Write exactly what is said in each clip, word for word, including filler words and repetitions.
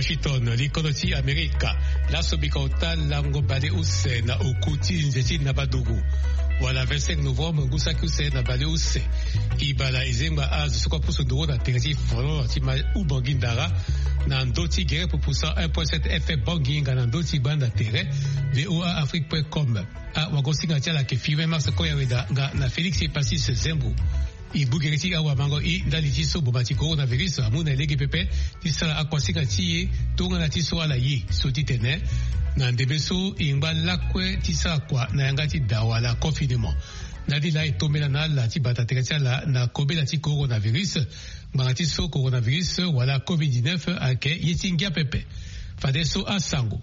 Washington, likodo ti Amerika. Laso bika ota lango baleuse na oku ti nze ti Nabadougou, wala vingt-cinq novembre, ngu saki use na baleuse. Ibala ezengba azo so kue apusu nduru na tere ti folon ti ma Ubangi Ndara, na ndö ti gere pupu cent un point sept F M Bangui nga na ndö ti gbanda tere V O A Afrique point com. Awagosinga ti ala ayeke Firmin Max Koyaweda nga na Félix Epacis Zembo. E gbu gere ti awamango e ndali ti so boma ti coronavirus amu na e lege pepe ti sara akuasinga ti e tongana ti so ala ye so ti tene na ndembe so e ngba lakue ti sara kua na yanga ti da wala confinement. Ndali laa e tombela na ala ti bata tere ti ala na kobela ti coronavirus. Ngbanga ti so coronavirus wala covid dix-neuf ayeke ye ti ngia pepe. Fadeso asango.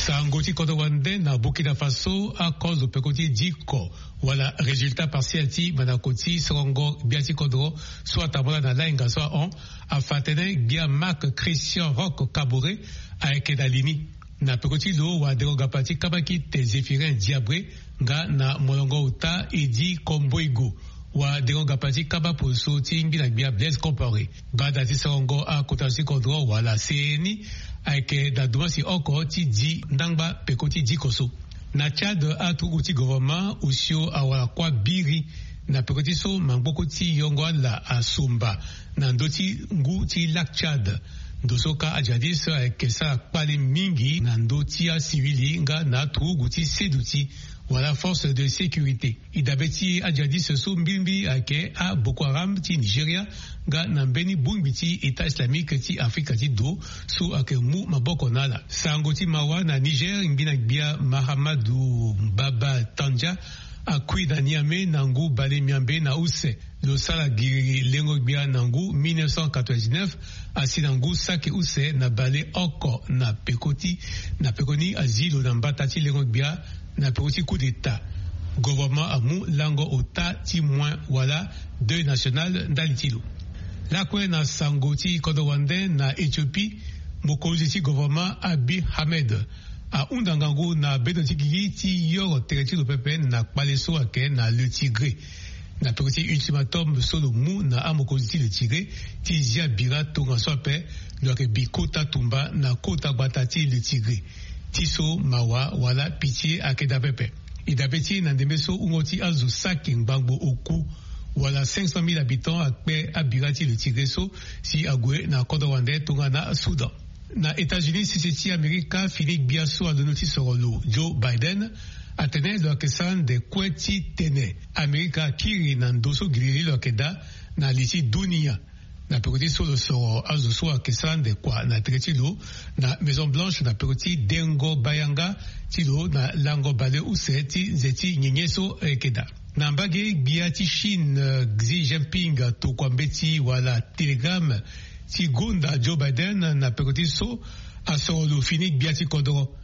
Sango ti kodro wande na Burkina Faso, akozo peko ti diko wala résultat partiel ti mandako ti sorongo gbia ti kodro so atambula na lainga so ahon afa atene gbia Marc Christian Roch Kaboré ayeke na li ni. Na peko ti lo wadengo gapa ti kabakite Zéphirin Diabré nga na molongo ota Eddy Komboigo, wadengo gapa ti kaba poso ti ngbina gbia Blaise Compaoré. Gbanda ti sorongo akota ti kodro wala C E N I ayeke na dumasi oko ti di ndangba peko ti diko so. Na Tchad, aturugu ti gouvernement osio awara kuâ biri na peko ti so mangboko ti yongo ala asomba na ndö ti ngu ti Lac Tchad. Ndo so ka ajihadiste ayeke sara kpale mingi na ndö ti asivili nga na aturugu ti seduti wala force de sécurité. E dabe ti ajihadiste so mbilimbili ayeke aBoko Haram ti Nigeria nga na mbeni bongbi ti État Islamique ti Afrika ti do so ayeke mu maboko na ala. Sango ti mawa na Niger, ngbina gbia Mahamadou Baba Tandja akui na Niamey na ngu bale miambe na use. Lo sara giri lengo gbia na ngu mille neuf cent quatre-vingt-dix-neuf, asi na ngu saki use na bale oko na peko ti, na peko ni azi lo na mbata ti lengo gbia na peko ti coup d'état. Gouvernement amu lango ota ti moins wala deuil national ndali ti lo. Lakue na sango ti kodro wande na Éthiopie, mokonzi ti gouvernement Abiy Ahmed ahunda ngangu na bendo ti gigi ti yoro tere ti lo pepe na kpale so ayeke na Le Tigré. Na peko ti ultimatum so lo mu na amokonzi ti Le Tigré ti zia bira tongaso ape, lo yeke bi kota tumba na kota gbata ti Le Tigré. Ti so mawa wala pitié ayeke daa pepe. E dabe ti e na ndembe so wungo ti azo saki ngbangbo oku wala cinq cent mille habitants akpe abira ti Le Tigré so si ague na kodro wande tongana Soudan. Na États-Unis, sese ti Amerika fini gbia so alondo ti soro lo, Joe Biden, atene lo yeke sara ande kue ti tene Amerika akiri na ndo so giriri lo yeke daa na li ti dunia. Na peko ti so lo soro azo so ayeke sara ande kua na tere ti lo na Maison Blanche na peko ti dengo bayanga ti lo na lango baleuse ti nze ti nyenye so ayeke daa. Na mbage gbia ti Chine, eh, Xi Jinping atokua mbeti wala télégramme ti gonda Joe Biden na peko ti so asoro lo fini gbia ti kodro.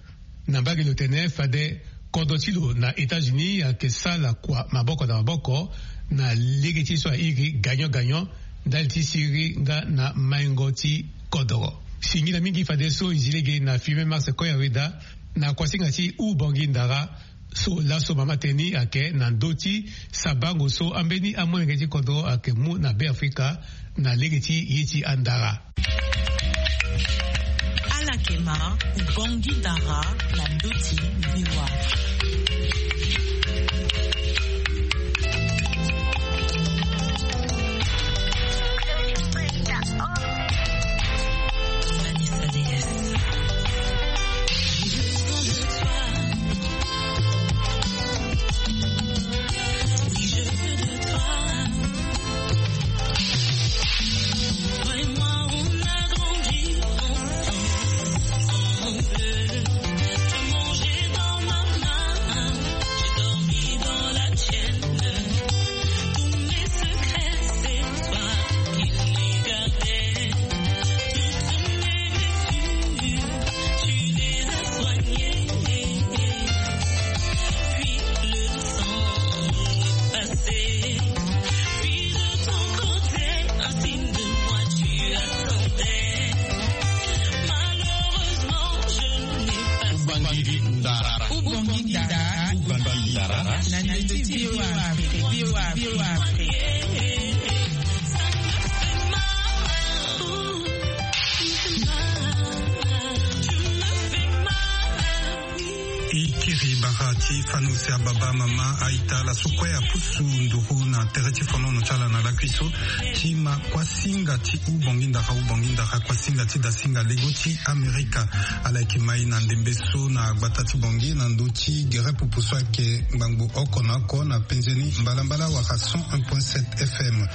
Na mbage lo tene fade kodro ti lo na États-Unis ayeke sala kua maboko na maboko na lege ti so airi gagnant gagnant ndali ti siriri nga na maingo ti kodro. Singila mingi fadeso e zi lege na Firmin Max Koyaweda na kuasinga ti Ubangi Ndara. So laso mama tënë ni ayeke na ndö ti sabango so ambeni amolenge ti kodro ayeke mu na Beafrika na lege ti ye ti andara. Alakema, Ubangi Ndara na ndö ti V O A. Ubangui Ndara. Ubangui Ndara. Ubangui Ndara. Na ndö ti V O A Afrique. V O A Afrique. I kiri bara ti fani use ababa, mama, aita, ala so kue apusu nduru na tere ti fonono ti ala na lakui so ti ma kuasinga ti ubongi ndara, ubongi ndara, kuasinga ti dasinga lego ti Amerika. Ala yeke mai na ndembe so na gbata ti Bangui na ndö ti gere pupu so ayeke ngbangbo oko na oko na penze ni mbalambala wala cent un point sept F M.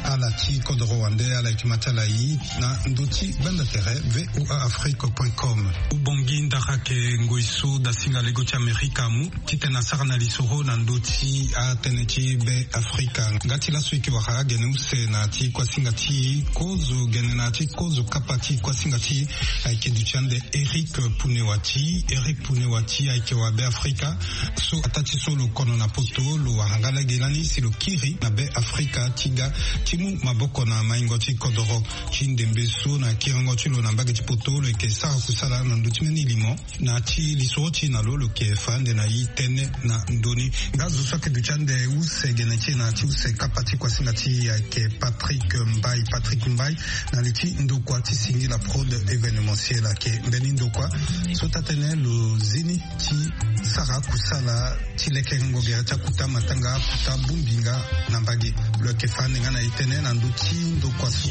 Ala ti kodoro wande ala yeke ma ti ala ye na ndö ti gbanda tere V O A Afrique point com. Ubongi ndara ayeke ngoi so dasinga lego ti Amerika amu titene asara na lisoro na ndö ti atënë ti Be Afrika. Nga ti laso e yeke wara agene use na ti kuasinga ti kozo gene na ti kozo kapa ti kuasinga ti ayeke duti ande Eric Punewati. Eric Punewati ayeke wa Be Afrika so ataa ti so lo kono na poto, lo wara nga lege lani si lo kiri na Be Afrika ti ga ti mu maboko na maingo ti kodoro. Ti ndembe so na kiringo ti lo na mbage ti poto, lo yeke sara kusala na ndö ti mbeni limo. Na ti lisoro ti e na lo, lo yeke fa ande na e tënë na ndö ni. Nga zo so ayeke duti ande use gene ti e na ti use kapa ti kuasinga ti e ayeke Patrick Mbai. Patrick Mbai, na li ti ndokua ti singila Prod Événementiel, ayeke mbeni ndokua so taa-tënë lo zi ni ti sara kusala ti lekerengo gere ti akuta matanga, akuta bongbi nga na mbage. Lo yeke fa ande nga na e tënë na ndö ti ndokua so.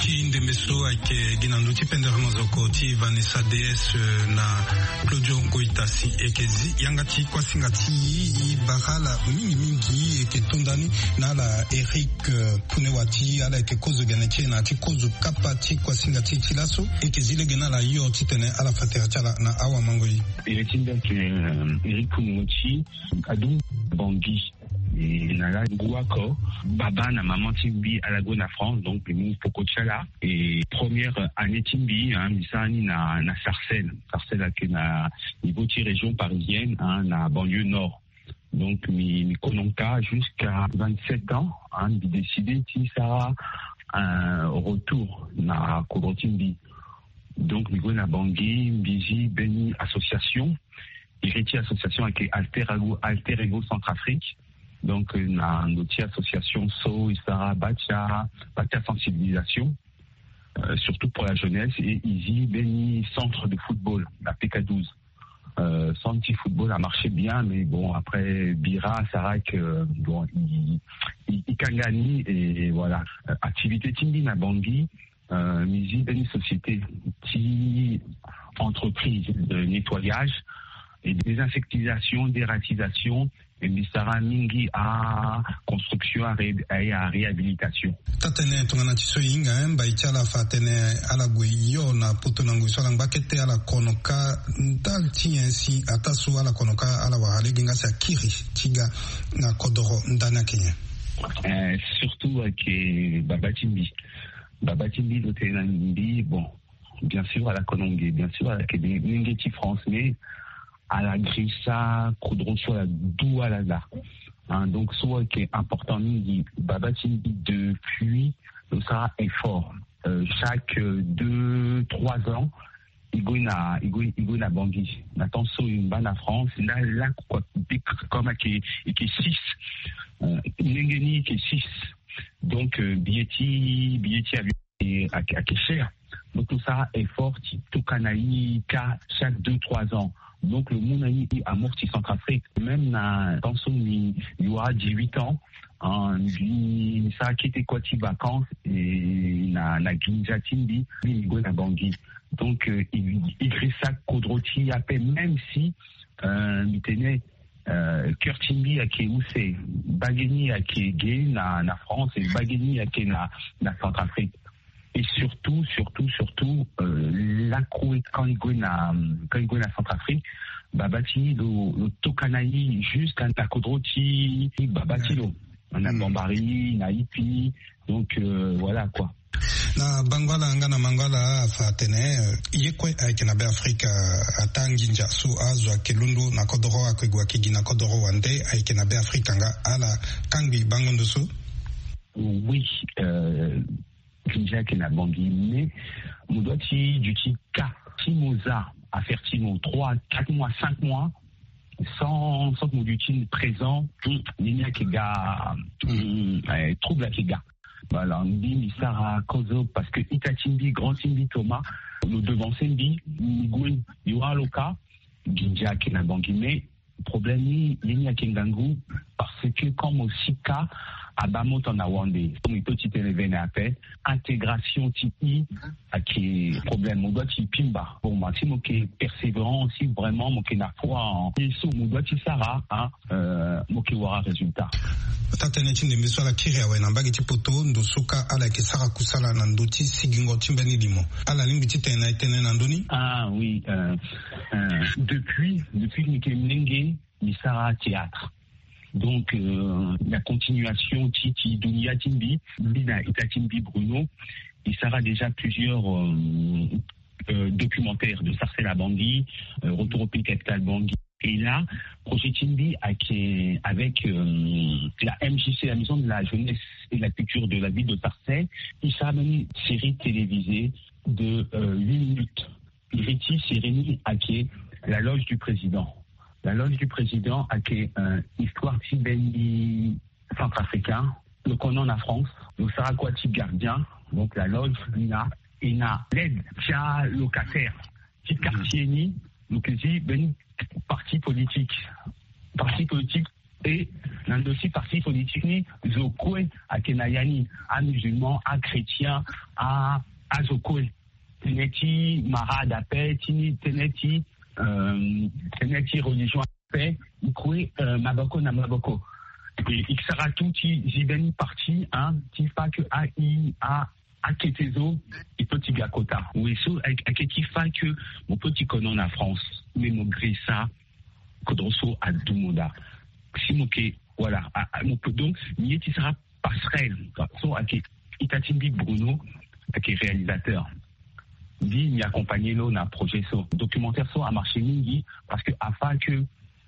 Ti ndembe so ayeke gi na ndö ti pendere mozoko ti Vanessa D S, eh, na Claudio Ngoita si e yeke zi yanga ti kuasinga ti e, e bara ala mingi mingi. E yeke to nda ni na ala Eric, eh, Punewati, ala yeke kozo gene ti e na ti kozo kapa ti kuasinga ti e ti laso. E yeke zi lege na ala hio titene ala fa tere ti ala na awamangoi. Ere ti mbi ayeke, eh, Eric Punewati, adu Bangui. E na la ngu oko, baba na maman ti mbi ala gue na France, donc mbi mu peko ti ala. E première année ti mbi, hein, mbi sara ni na, na Sarcelles. Sarcelles ayeke na niveau ti région parisienne, hein, na banlieue nord. Donc mbi, mbi kono ka jusqu'à vingt-sept ans, hein, mbi décidé ti sara un retour na kodro ti mbi. Donc mbi gue na Bangui, mbi zi mbeni association. Iri ti association ayeke Alter Ego, Alter Ego Centrafrique. Donc, euh, na ndö ti association so e sara bâ ti a, bâ ti a sensibilisation, euh, surtout pour la jeunesse, et e zi mbeni centre de football na P K douze. Euh, centre ti football a marché bien, mais bon, après, bira asara que, bon, e, e, e kanga ni, et voilà. Euh, activité ti mbi na Bangui, euh, mbi zi mbeni société ti entreprise de nettoyage et désinsectisation, dératisation, et mbi sara mingi a construction, a ré-, a réhabilitation. Taa-tënë tongana ti so e hinga, eh, mbai ti ala fa atene ala gue hio na poto na ngoi so ala ngba kete, ala kono ka ndali ti nyen si ataa so ala kono ka ala wara lege nga si akiri ti ga na kodoro ndani ayeke nyen? Eh, surtout ayeke baba ti mbi. Baba ti mbi lo tene na mbi, bon, bien sûr ala kono nge, bien sûr ala yeke nge ti France, mais ala girisa kodro so ala du ala laa. Hein, donc so ayeke important mingi, baba ti mbi depuis lo sara effort, euh, chaque, euh, deux, trois ans, e gue na, e gue, e gue na Bangui. Na temps so e ngba na France, la, la, quoi, comme ayeke, ayeke six. Euh, ndenge ni ayeke six. Donc, euh, billet ti, billet ti avion ayeke, ayeke cher. Donc, lo sara effort ti tokua na e ka chaque deux, trois ans. Donc, lo mu na e amorti Centrafrique. Même na temps so mbi, mbi wara dix-huit ans, hein, mbi, mbi sara kete kua ti vacances, et na, na nginza ti mbi, mbi, mbi gue na Bangui. Donc, euh, e, e girisa kodro ti e ape, même si, euh, mbi tene, euh, cœur ti mbi ayeke use, bage ni ayeke ge na, na France, et bage ni ayeke na, na Centrafrique. Et surtout, surtout, surtout, euh, lakue quand e gue na, quand e gue na Centrafrique, baba ti lo, lo tokua na e jusqu'à na kodro ti baba ti lo. Na Bambari, na Ipi. Donc, euh, voilà quoi. Na bango ala nga na mango ala afa atene, euh, ye kue ayeke na Be Afrika, ataa nginza so azo ayeke londo na kodoro, ayeke gue ayeke gi na kodoro wande, ayeke na Be Afrika nga, ala kangbi bango ndo so? Oui, euh, nginza ayeke na Bangui, mais mo doit ti duti ka ti mo za affaire ti mo trois, quatre mois, cinq mois. Sans sans mo duti présent, ni ni ake ga. Trouble ake ga. Voilà, mbi mbi sara kozo parce que ita ti mbi grand ti mbi Thomas lo devancer mbi. Mbi gue mbi wara lo ka. Nginza ake na bangi mais problème ni ye ni ake ngangu. Parce que comme aussi ka aba mo tona wande, comme il peut ti tene vene ape intégration ti i ake problème mo doit ti pimba. Bon ma si mo ke persévérant aussi vraiment mo ke na foi en ye so mo doit ti sara hein. Mo ke wara résultat. Ata tënë ti ndembe so ala kiri awe na mbage ti poto ndo so ka ala yeke sara kusala na ndö ti sigingo ti mbeni limo. Ala lingbi ti tene na e tënë na ndö ni. Ah oui. Depuis depuis mbi ke mlenge mbi sara théâtre. Donc la continuation ti ti dunia ti mbi mbi na ita ti mbi Bruno. Mbi sara déjà plusieurs documentaires de Sarcelles à Bangui, Retour au pays capital Bangui. Et là projet ti mbi ake avec la M J C, la maison de la jeunesse et la culture de la ville de Sarcelles. Mbi sara mbeni série télévisée de huit minutes. Iri ti série ni ake la loge du président. La loge du président ake histoire ti mbeni centrafricain. Lo kono na France lo sara kua ti gardien. Donc la loge ni na e na l'aide ti alocataire ti quartier ni. Lo ke zi mbeni parti politique. Parti politique. E na ndö ti parti politique ni zo kue ake na ya ni. Amusulman, achrétien, a azo kue. Tënë ti marade ape ti ni tënë ti tënë ti religion ape. E kue maboko na maboko. E sara tout ti zi mbeni parti hein ti fa ke a i a akete zo. E peut ti ga kota we so ake ti fa ke mo peut ti kono na France. Mais mo grisa kodro so adu mo daa. Si mo ke voilà. Mo peut donc mbi ye ti sara passerelle. So ake ita ti mbi Bruno ake réalisateur. Mbi mbi accompagner lo na projet so documentaire so amarché mingi. Parce que afa ke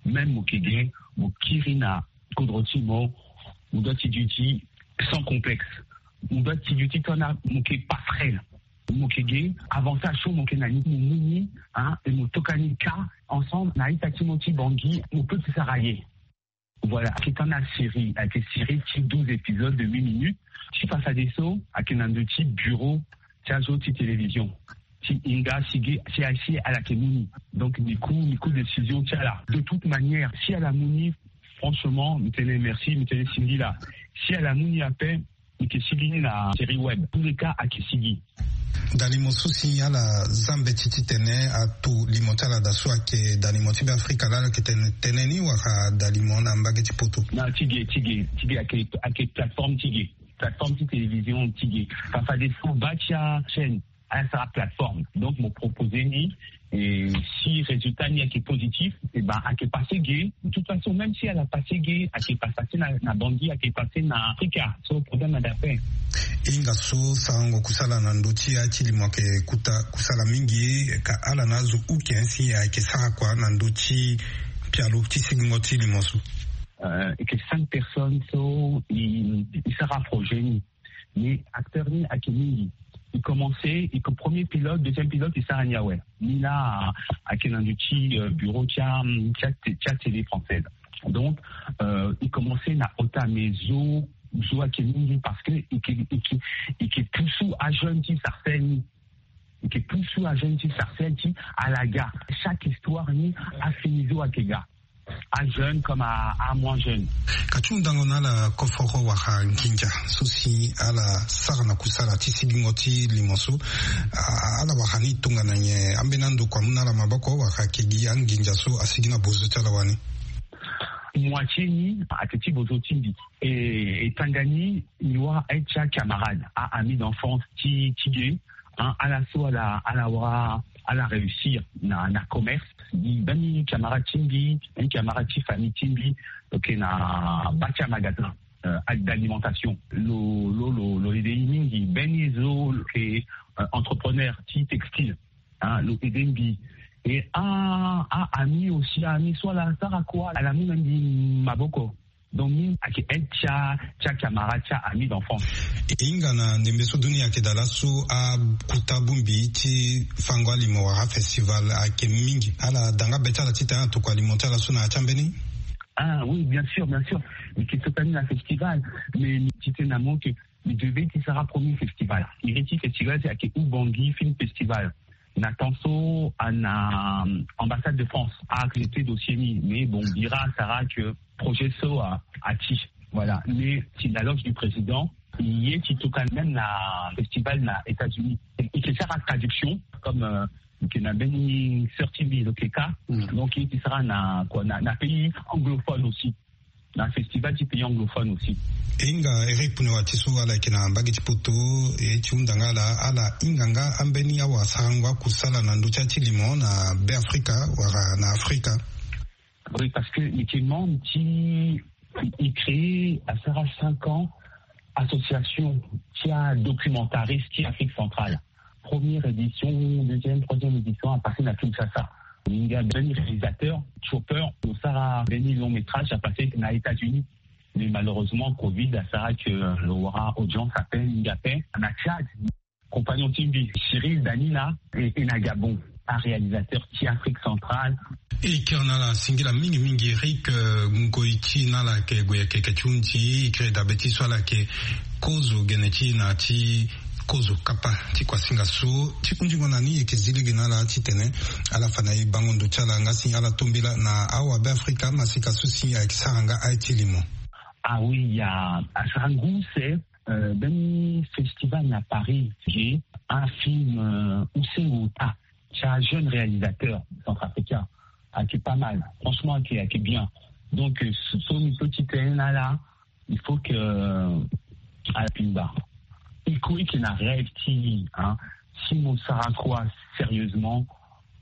même mo ke ge mo kiri na kodro ti mo. Mo doit ti duti sans complexe. Mo doit ti duti tongana mo ke passerelle. Mo ke ge avantage so mo ke na ni mo mu ni hein. Et mo toka ni ka ensemble na ita ti mo ti Bangui mo peut ti sara ye. Voilà ake tanga série ake série ti douze épisodes de huit minutes. Ti façade so ake na ndö ti bureau ti azo ti télévision ti hinga si ge si asi ala ke mu ni. Donc mbi ku mbi ku décision ti ala. De toute manière si ala mu ni franchement mbi tene merci mbi tene singila. Si ala mu ni ape mbi ke sigi ni na série web. Tous les cas ake sigi. Dalimo so si ala za mbeti titene ato limo ti ala daa so ayeke dalimo ti Beafrika laa ala yeke tene tënë ni wala dalimo na mbage ti poto? Na ti ge ti ge ti ge ayeke ayeke plateforme ti ge. Plateforme ti télévision ti ge. Fa fadeso baa ti achaîne ala sara plateforme. Donc mo proposer ni. Et si résultat ni ayeke positif, eh ben ayeke passé ge. De toute façon même si ala passé ge ayeke passé na na Bangui ayeke passé na Afrika. So problème na dape. Hinga so sarango kusala na ndö ti ya ti limo ayeke kuta kusala mingi. Ka ala na azo uke si ayeke sara kua na ndö ti pialo ti sigingo ti limo so? Ayeke cinq personnes so i sara projet ni. Mais acteur ni ayeke mingi. I commencé i premier pilote deuxième pilote i sara ni awe. Ni laa ayeke na ndö ti bureau ti a ti a télé française. Donc i commencé na ota mais zo zo ayeke mingi parce que i ke i ke i ke pusu ajeune ti Sarcelles ni. I ke pusu ajeune ti Sarcelles ti ala ga chaque histoire ni. Afini zo ayeke ga. Ajeune comme a moins jeune. Ka ti hundango na ala koforo wala nginza so si ala sara na kusala ti sigingo ti limo so. Ala wara ni tongana nyen? Ambeni ando kua amu na ala maboko wala ayeke gi anginza so asigi na bozo ti ala wani? Moitié ni ayeke ti bozo ti mbi. E tanga ni mbi wara aide ti acamarade a ami d'enfance ti ti ge. Ala so ala ala wara ala réussir na na commerce. Mbeni camarade ti mbi mbeni camarade ti famille ti mbi lo yeke na bâ ti amagasin d'alimentation. Lo lo lo lo aidé ye mingi. Mbeni zo lo yeke entrepreneur ti textile. Lo aidé mbi. Et a a ami aussi ami so ala sara kua ala mu na mbi maboko. Donc ni ayeke aide ti a ti a camarade ti a ami d'enfance. E hinga na ndembe so dunia ayeke daa laso akuta bongbi ti fango alimo wala afestival ayeke mingi. Ala daa nga be ti ala titene atokua alimo ti ala so na ya ti ambeni. Ah oui, bien sûr, bien sûr. Mbi yeke so tani na festival, mais mbi titene na mo ke mbi devait ti sara premier festival. Iri ti festival si ayeke Oubangi Film Festival. Na temps so ana ambassade de France a accepté dossier ni, mais bon, bira asara ke projet so a ati. Voilà. Mais si la loge du président, ye ti tokua même na festival na États-Unis, e ke sara traduction comme, euh, e ke na mbeni sœur ti mbi lo ke ka. Donc ye ti sara na quoi, na, na pays anglophone aussi, na festival ti pays anglophone aussi. E hinga Eric Punewati so ala yeke na mbage ti poto, e ti hunda nga ala, ala hinga nga ambeni awasarango akusala na ndö ti ya ti limo na Be Afrika wala na Afrika. Oui, parce que mbi yeke membre ti, e créé asara cinq ans association ti adocumentariste ti Afrique centrale. Première édition, deuxième, troisième édition a passé na Kinshasa. Hinga mbeni réalisateur, Chopper, lo sara mbeni long métrage a passé na États-Unis. Mais malheureusement covid asara ke lo wara audience ape, mingi ape na Tchad. Compagnon ti mbi, Cyril Danina, e, e na Gabon, aréalisateur ti Afrique centrale. E kiri na ala singila mingi mingi Eric, euh, ngoi ti na ala yeke gue yeke yeke ti hunzi, e kiri dabe ti so ala yeke kozo gene ti na ti kozo kapa ti kuasinga so ti hunzingo na ni. E yeke zi lege na ala titene ala fa na e bango ndo ti ala nga si ala tombela na awabe Afrika masika so si ayeke sara nga aye ti limo. Ah oui, ya asara ngu use, euh, mbeni festival na Paris, ye un film, euh, use ota ti ajeune réalisateur centrafricain. Ayeke pas mal, franchement ayeke, ayeke bien. Donc, euh, so, so mbi peut ti tene na ala, il faut que, euh, ala pimba. E kue e yeke na rêve ti, hein, si mo sara kua sérieusement,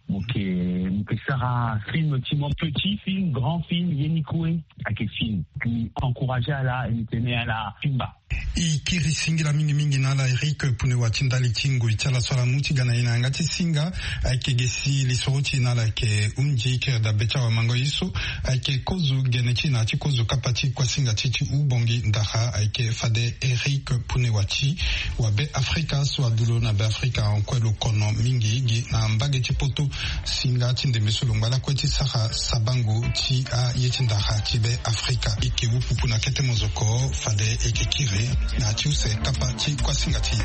mo yeke, mo yeke sara film ti mo, petit film, grand film, ye ni kue ayeke film. Mbi encourager ala, e mbi tene ala pimba. E kiri singila mingi mingi na ala Eric Punewati ndali ti ngoi ti ala so ala mu ti ga na e na yanga ti singa. Ayeke ge si lisoro ti e na ala ayeke hunzi. E kiri dabe ti awamango ye so ayeke kozo gene ti e na ya ti kozo kapa ti kuasinga ti e ti Oubangui Ndara, ayeke fade Eric Punewati wa Be Afrika so adu lo na Be Afrika en kue lo kono mingi gi na mbage ti poto. Singa ti ndembe so lo ngba lakue ti sara sabango ti aye ti ndara ti Be Afrika. E yeke wu pupu na kete mozoko fade e yeke kiri na ya ti use kapa ti kuasinga ti e.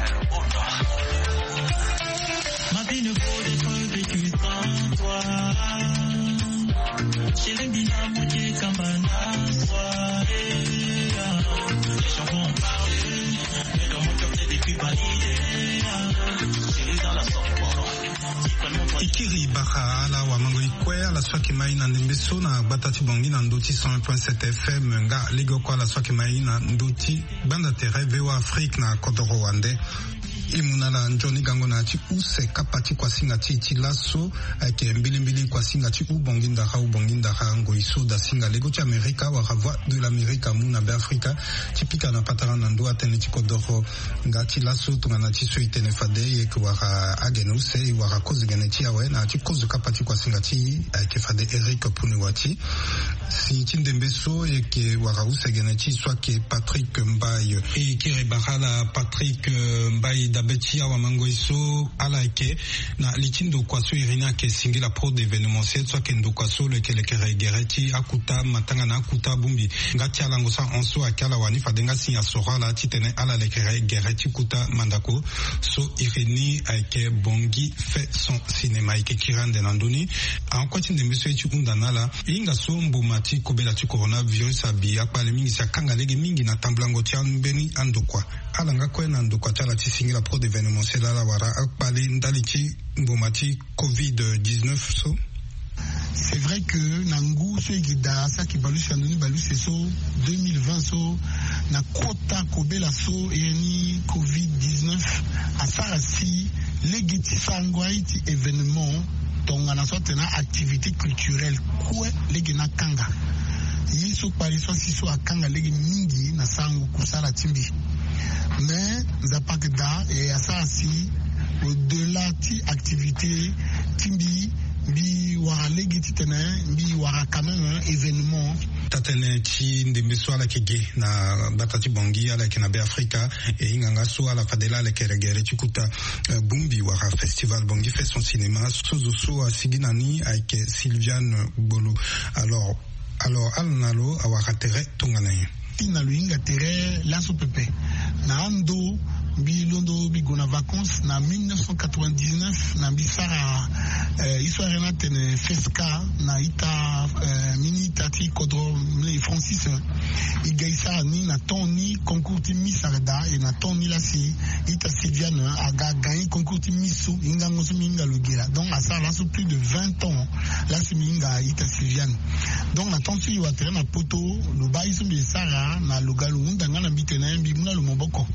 E kiri bara ala wamango e kue ala so ayeke ma e na ndembe so na gbata ti Bangui na ndö ti cent un point sept F M, nga legeoko ala so ayeke ma e na ndö ti gbanda tere V O A Afrique na kodoro wande. E mu na ala nzoni gango na ya ti use kapa ti kuasinga ti e ti laso, ayeke mbilimbili kuasinga ti Oubangui Ndara, Oubangui Ndara, ngoi so dasinga lego ti Amerika wala Voix de l'Amérique amu na Be Afrika ti pika na patara na ndö atënë ti kodoro. Nga ti laso tongana ti so e tene fade e yeke wara agene use, e wara kozo gene ti e awe na ya ti kozo kapa ti kuasinga ti e ayeke fade Eric Punewati. Si ti ndembe so e yeke wara use gene ti e so ayeke Patrick Mbaye. E kiri bara ala Patrick, euh, Mbaye dabe ti awamango e so ala yeke na li ti ndokua so iri ni ayeke singila pro d'événementiel so ayeke ndokua so lo yeke lekere gere ti akuta matanga na akuta bongbi. Nga ti alango so ahon so ayeke ala wani fade nga si asoro ala titene ala lekere gere ti kuta mandako so iri ni ayeke Bangui fait son cinéma. E yeke kiri ande na ndö ni. Ahon kue ti ndembe so e ti hunda na ala. E hinga so mboma ti kobela ti coronavirus abi akpale mingi si akanga lege mingi na tambulango ti ambeni andokua. Ala nga kue na ndokua ti ala ti singila pro d'événementiel ala wara akpale ndali ti mboma ti covid dix-neuf so. C'est vrai que na ngu so e gi daa saki baleuse na ndoni baleuse so deux mille vingt so, na kota kobela so e ni covid dix-neuf asara si lege ti sarango aye ti événement tongana so atene activité culturelle kue lege ni akanga. Ye so kpale so asi so akanga lege mingi na sarango kusala ti mbi. Mais Nzapa ayeke daa e asara si au-delà ti activité ti mbi, mbi wara lege titene mbi wara quand même événement. Atene ti ndembe so ala yeke ge na gbata ti Bangui, ala yeke na Be Afrika. E hinga nga so ala fade laa lekere gere ti kuta bumbi wala festival Bangui fait son cinéma so zo so asigi na ni ayeke Sylviane Gbolo. Alors, alors ala na lo awara tere tongana nyen? Ti na lo hinga tere laso pepe. Na ando mbi londo mbi gue na vacances na mille neuf cent quatre-vingt-dix-neuf, na mbi sara histoire na tene fesca na ita, mini ita ti kodro mle Francis. E ga e sara ni na temps ni concours ti Miss ayeke daa, e na temps ni lasi ita Sylviane aga agagner concours ti Miss so, hingango so mbi hinga lo ge laa. Donc asara laso plus de vingt ans lasi mbi hinga ita Sylviane. Donc na temps so e wa tere na poto, lo baa ye so mbi sara na lo ga lo hunda nga na mbi tene mbi mu na lo maboko.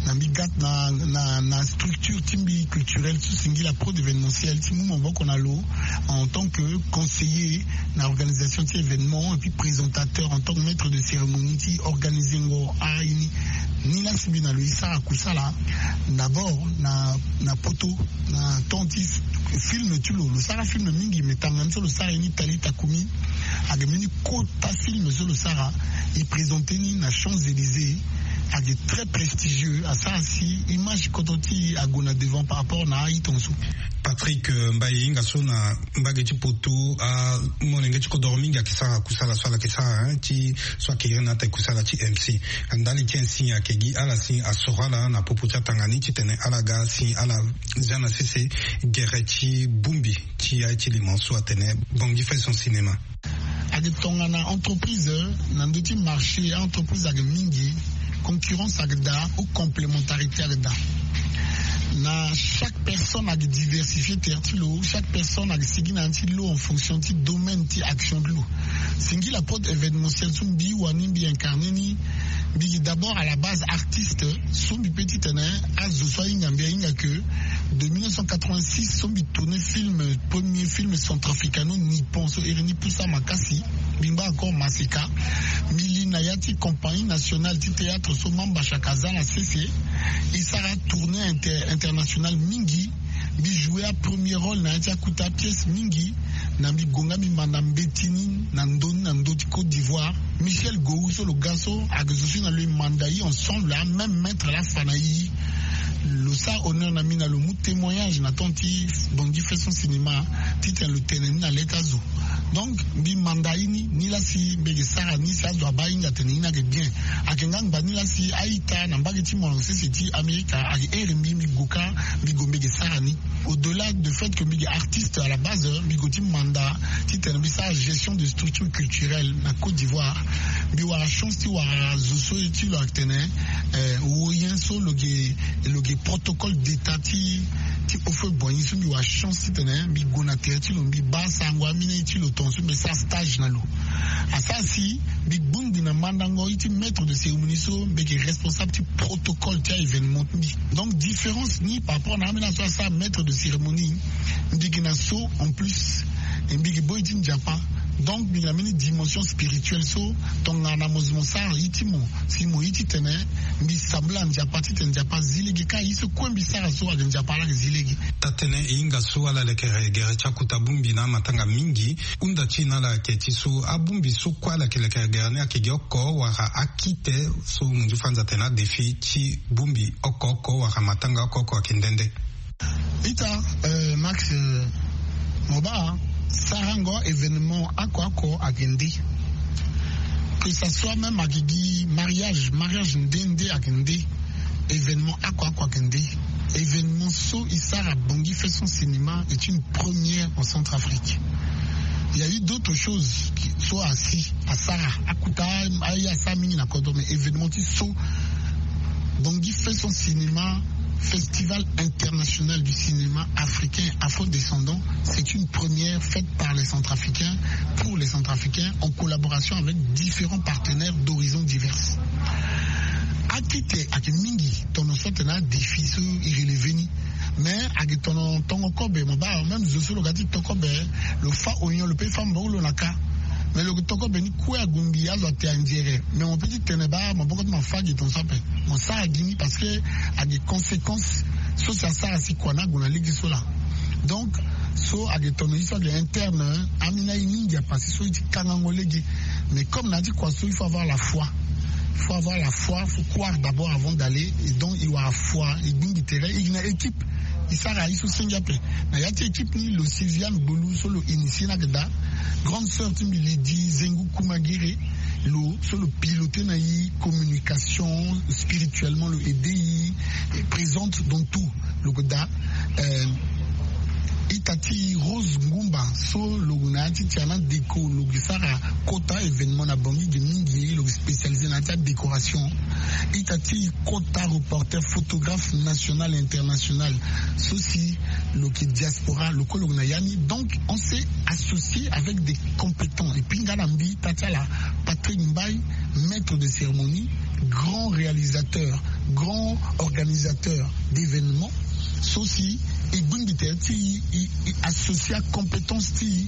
Na mbi ga na, na, na structure ti mbi culturelle so singila Prod Événementiel ti mu maboko na lo en tant que conseiller na organisation ti événement et puis présentateur en tant que maître de cérémonie ti organisengo aye ni. Ni lasi mbi na lo e sara kusala d'abord na, na poto, na temps ti film ti lo. Lo sara film mingi, mais tanga ni so lo sara ye ni Talita Kumi. Ayeke mbeni kota film so lo sara, e présenter ni na Champs-Élysées. Ayeke très prestigieux, asara si image kodro ti e ague na devant par rapport na a-ita so. Patrick, eh, Mbaye, e hinga so na mbage ti poto, amolenge ti kodoro mingi ayeke sara kusala so ala yeke sara, hein, ti so ayeke iri na ate kusala ti M C. Ndali ti ainsi ayeke gi ala si asoro ala na popo ti atanga ni titene ala ga si ala zia na sese gere ti bongbi ti aye ti limo so atene Bangui fait son cinéma. Ayeke tongana entreprise, na ndö ti marché, entreprise ayeke mingi, concurrence ayeke daa ou complémentarité ayeke daa. Na chaque personne ayeke diversifier terre ti lo, chaque personne ayeke sigi na ya ti lo en fonction ti domaine ti action ti lo. Singila Prod Événementiel so mbi wani mbi incarner ni, mbi gi d'abord à la base artiste. So mbi peut ti tene azo so ahinga mbi ahinga que de mille neuf cent quatre-vingt-six so mbi tourner film, premier film centrafricano-nippon so iri ni Pusa Makasi, mbi ngba encore Maseka. Mbi li na ya ti compagnie nationale ti théâtre so Mamba Shaka aza na sese. E sara tournée inter-, internationale mingi. Mbi jouer apremier rôle na ya ti akuta pièce mingi. Na mbi gue nga mbi manda mbeti ni na ndö ni na ndö ti Côte d'Ivoire. Michel Gou so lo ga so ayeke zo so na lo e manda e ensemble, amême maître laa afa na e. Lo sara honneur na mbi na lo mu témoignage na temps ti Bangui fait son cinéma titene lo tene ni na le ti azo. Donc mbi manda e ni, ni laa si mbi yeke sara ni si azo abaa e hinga atene e ni ayeke bien. Ayeke nga ngba ni laa si a-ita na mbage ti molenge sese ti Amerika ayeke here mbi, mbi gue kâ, mbi gue mbi yeke sara ni. Au-delà de fait que mbi yeke artiste à la base, mbi gue ti manda titene mbi sara gestion de structure culturelle na Côte d'Ivoire. Mbi wara chance ti wara zo so ye ti lo atene, eh, woyen so lo ge, lo ge protocole d'état ti, ti Houphouët-Boigny so mbi wara chance titene mbi gue na tere ti lo, mbi baa sarango amina ye ti lo tongaso mbi sara stage na lo. Asara si mbi gbongbi na mandango ye ti maître de cérémonie so mbi yeke responsable ti protocole ti a-événement ti mbi. Donc différence ni par rapport na ambeni azo so asara maître de cérémonie, mbi yeke na so en plus, e mbi yeke boi ti Nzapa. Donc mbi yeke na mbeni dimension spirituelle so tongana mo zo mo sara ye ti mo, si mo ye ti tene mbi sambela Nzapa titene Nzapa azi lege kâ ye so kue mbi sara so ayeke Nzapa laa ayeke zi lege. Taa-tënë, e hinga so ala lekere gere ti akuta bongbi na amatanga mingi. Hunda ti e na ala ayeke ti so abongbi so kue ala yeke lekere gere ni ayeke gi oko wala akite so mo nzu fa nza atene adéfi ti bongbi oko oko wala matanga oko oko ayeke nde nde? Ita, eh, Max, eh, mo baa sarango événement oko oko ayeke nde. Que ça soit même ayeke gi mariage, mariage nde nde ayeke nde. Événement oko oko ayeke nde. Événement so e sara Bangui fait son cinéma est une première en Centrafrique. Il y a eu d'autres choses qui, so asi asara, akuta aye asara mingi na kodro, mais événement ti so Bangui fait son cinéma, Festival international du cinéma africain afro-descendant, c'est une première faite par les Centrafricains, pour les Centrafricains, en collaboration avec différents partenaires d'horizons divers. Akite ayeke mingi, tono so atene adéfi so e relever ni. Mais ayeke tono tongo kobe, mo baa même zo so lo ga ti to kobe, lo fâ oignon, lo peut fâ maboko ti lo na kâ. Mais lo yeke to kobe ni kue ague mbi, azo ate anzere. Mais mo peut ti tene baa maboko ti mo afâ gi tongaso ape. Mo sara gi ni parce que ayeke conséquence so si asara si kua ni ague na lege so laa. Donc so ayeke tono ye so ayeke interne, hein, ambeni aye ni Nzapa si so ye ti kangango lege. Mais comme na ya ti kua so, il faut avoir la foi. Il faut avoir la foi, faut croire d'abord avant d'aller. Et donc, il faut avoir foi, e gbingbi tere, e gi na équipe. E sara e so senge ape. Na ya ti équipe ni, lo Sylviane Gbolu so lo initié na gada. Grande sœur ti mbi Lydie Zengu Kumagere, lo so lo piloté na e communication spirituellement, lo aidé e, e présente dans tout. Lo gada, euh, ita ti Rose Ngumba so lo na ya ti tiana déco, lo sara kota événement na Bangui ge mingi, lo spécialisé na ya ti adécoration. Ita ti kota reporter, photographe national et international so si lo yeke diaspora, lo kue lo yeke na ya ni. Donc on s'est associé avec des compétents. Et puis nga na mbi ita ti ala Patrick Mbaye, maître de cérémonie, grand réalisateur, grand organisateur d'événements, so si e gbingbi tere ti e, e, e associé acompétence ti e.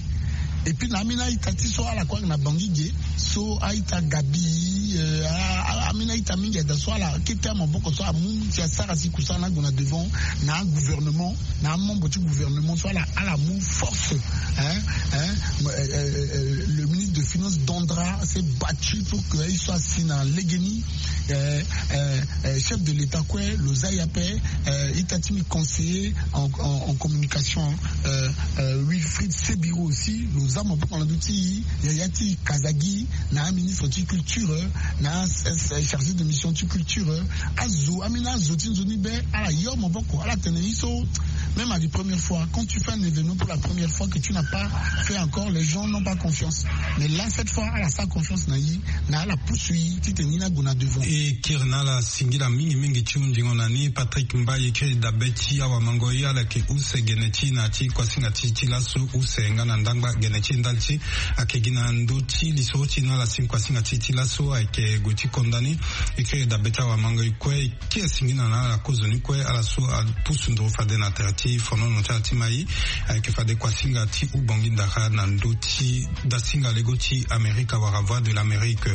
Et puis na ambeni a-ita ti so ala kue ayeke na Bangui ge, so a-ita Gabi, euh, a, a, ambeni a-ita mingi ayeke daa, so ala kete amaboko so amu ti asara si kusala ni ague na devant, na agouvernement, na amembre ti gouvernement so ala, ala mu force, hein, hein, euh, euh, euh, le ministre de finance Dandra s'est battu pour que aye so asi na legeni, euh, euh, euh, chef de l'État kue lo za e ape, euh, ita ti mbi conseiller en, en, en communication, euh, euh, Wilfried Sebiro aussi, lo za maboko na ndö ti e, yaya ti Kazagi, na aministre ti culture, na as, as chargé de mission ti culture. Azo, ambeni azo ti nzoni be, ala yo maboko, ala tene e so, même à la première fois, quand tu fais un événement pour la première fois que tu n'as pas fait encore, les gens n'ont pas confiance. Mais là, cette fois, ala sara confiance na e, na ala pusu e titene e ni ague na devant. E kiri na ala singila mingi mingi ti hundingo na ni. Patrick Mbaye, e kiri dabe ti awamango, e ala yeke use gene ti e na ya ti kuasinga ti e ti laso, use nga na ndangba gene ti e ndali ti e. Ayeke gi na ndö ti lisoro ti e na ala si kuasinga ti e ti laso ayeke gue ti konda ni. E kiri dabe ti awamango, e kue, e kiri singila na ala kozoni kue, ala so apusu nduru fade na tere ti fonono ti ala ti mai. Ayeke fade kuasinga ti Ubangui Ndara na ndö ti dasinga lego ti Amerika wala Voix de l'Amérique.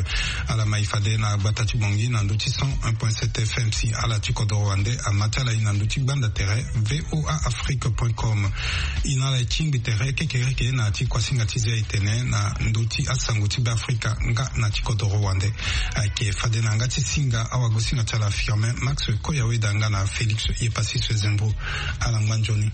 Ala mai fade na gbata ti Bangui na ndö ti cent un point sept F M si ala ti kodoro wande ama ti ala e na ndö ti gbanda tere V O A Afrique point com. E na ala e tingbi tere kekereke na ya ti kuasinga ti zia e tene na ndö ti asango ti Beafrika nga na ti kodoro wande. Ayeke fade na yanga ti singa awagosinga ti ala Firmin Max Koyaweda nga na Félix Yepassis Zembo. Ala ngba nzoni.